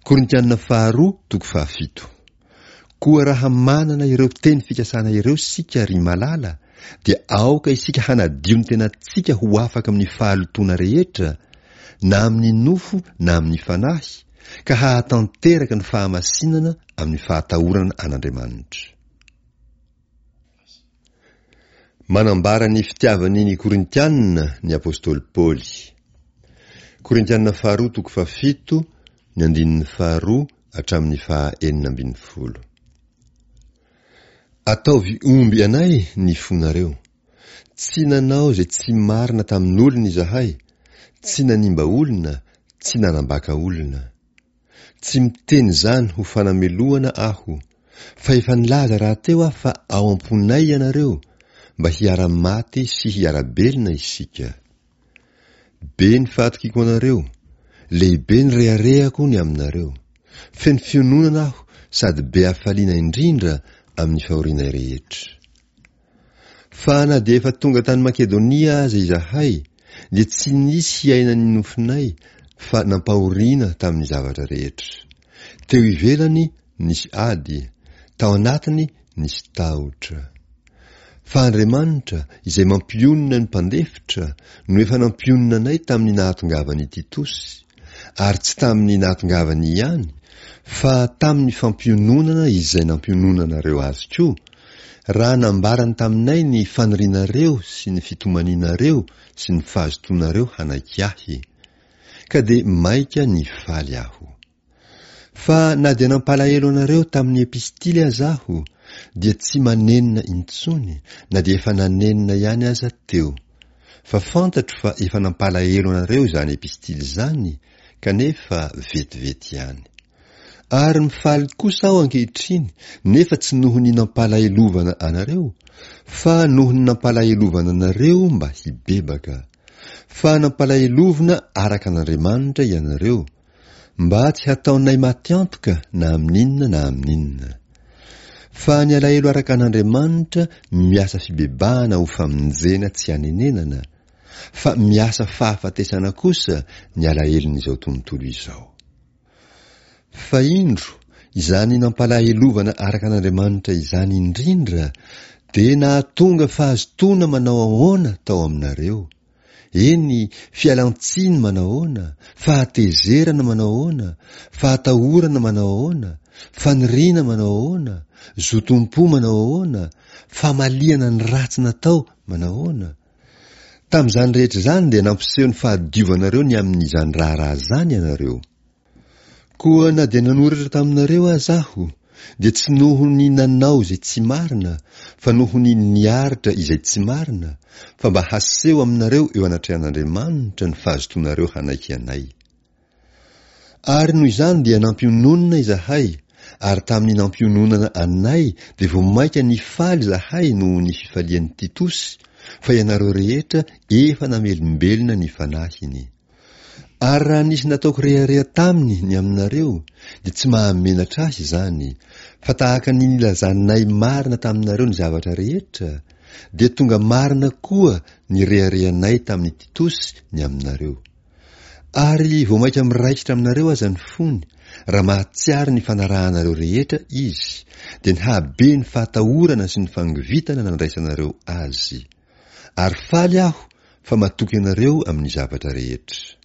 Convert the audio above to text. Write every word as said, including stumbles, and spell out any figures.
Korintianina faharoa toko fahafito. Koa raha manana ireo teny fikasana ireo isika, ry malala, dia aoka isika hanadio ny tenantsika ho afaka amin'ny fahalotoana rehetra, na amin'ny nofo na amin'ny fanahy, ka hahatanteraka ny fahamasinana amin'ny fahatahorana an'Andriamanitra. Manambara ny fitiavany ny Korintianina ny apostoly Paoly. Korintianina faharoa toko fahafito, ny andininy faharoa hatramin'ny faha enina ambin'ny folo. Ataovy omby anay ny fonareo. Tsy nanao izay tsy marina tamin'olona izahay, tsy nanimba olona, tsy nanambaka olona. Tsy miteny izany ho fanamelohana aho, fa efa nilaza rahateo aho fa ao am-ponay ianareo, mba hiara-maty sy hiara-belona isika. Be ny fahatokiako anareo, lehibe ny reharehako ny aminareo. Feno fiononana aho sady be hafaliana indrindra amin'ny fahorianay rehetra. Fa na dia efa tonga tany Makedonia aza izahay, dia tsy nisy hiainan'ny nofonay fa nampahoriana tamin'ny zavatra rehetra. Teo ivelany nisy ady, tao anatiny nisy tahotra. Fa Andriamanitra, izay mampionona ny mpandefitra, no efa nampionona anay tamin'ny nahatongavan'i Titosy, ary tsy tamin'ny nahatongavany ihany, fa tamin'ny fampiononana izay nampiononanareo azy koa, raha nambarany taminay ny fanirianareo sy ny fitomanianareo sy ny fahazotoanareo hanaiky ahy. Ka dia maika nifaly aho. Fa na dia nampalahelo anareo tamin'ny epistily aza aho, dia tsy manenina intsony, na dia efa nanenina ihany aza teo. Fa fantatro fa efa nampalahelo anareo izany epistily izany, kanefa vetivety ihany. Ary mifaly kosa aho ankehitriny, nefa tsy noho ny nampalahelovana anareo, fa noho ny nampalahelovana anareo mba hibebaka. Fa nampalahelovina araka an'Andriamanitra ianareo, mba tsy hataonay maty antoka na amin'inona na amin'inona. Fa ny alahelo araka an'Andriamanitra miasa fibebahana ho famonjena tsy anenenana, fa miasa fahafatesana kosa ny alahelon'izao tontolo izao. Fa indro, izany nampalahelovana araka an'Andriamanitra izany indrindra dia nahatonga fahazotoana manao ahoana tao aminareo, eny, fialan-tsiny manao ahoana, fahatezerana manao ahoana, fahatahorana manao ahoana, faniriana manao ahoana, zotom-po manao ahoana, famaliana ny ratsy natao manao ahoana. Tamin'izany rehetra izany dia nampiseho ny fahadiovanareo ny amin'izany raharaha izany ianareo. Koa na dia nanoratra taminareo aza aho, dia tsy noho ny nanao izay tsy marina, fa noho ny niaritra izay tsy marina, fa mba haseho aminareo eo anatrehan'Andriamanitra ny fahazotoanareo hanaiky anay. Ary noho izany dia nampiononina izahay, ary tamin'ny nampiononana anay dia vao mainka nifaly izahay noho ny fifalian'i Titosy, fa ianareo rehetra efa namelombelona ny fanahiny. Ary raha nisy nataoko rehareha taminy ny aminareo, dia tsy mahamenatra ahy izany, fa tahaka ny nilazanay marina taminareo ny zavatra rehetra, dia tonga marina koa ny reharehanay tamin'i Titosy ny aminareo. Ary vao mainka miraikitra aminareo aza ny fony, raha mahatsiaro ny fanarahanareo rehetra izy, dia ny hahabe ny fahatahorana sy ny fangovitana nandraisanareo azy. Ary faly aho fa matoky anareo amin'ny zavatra rehetra.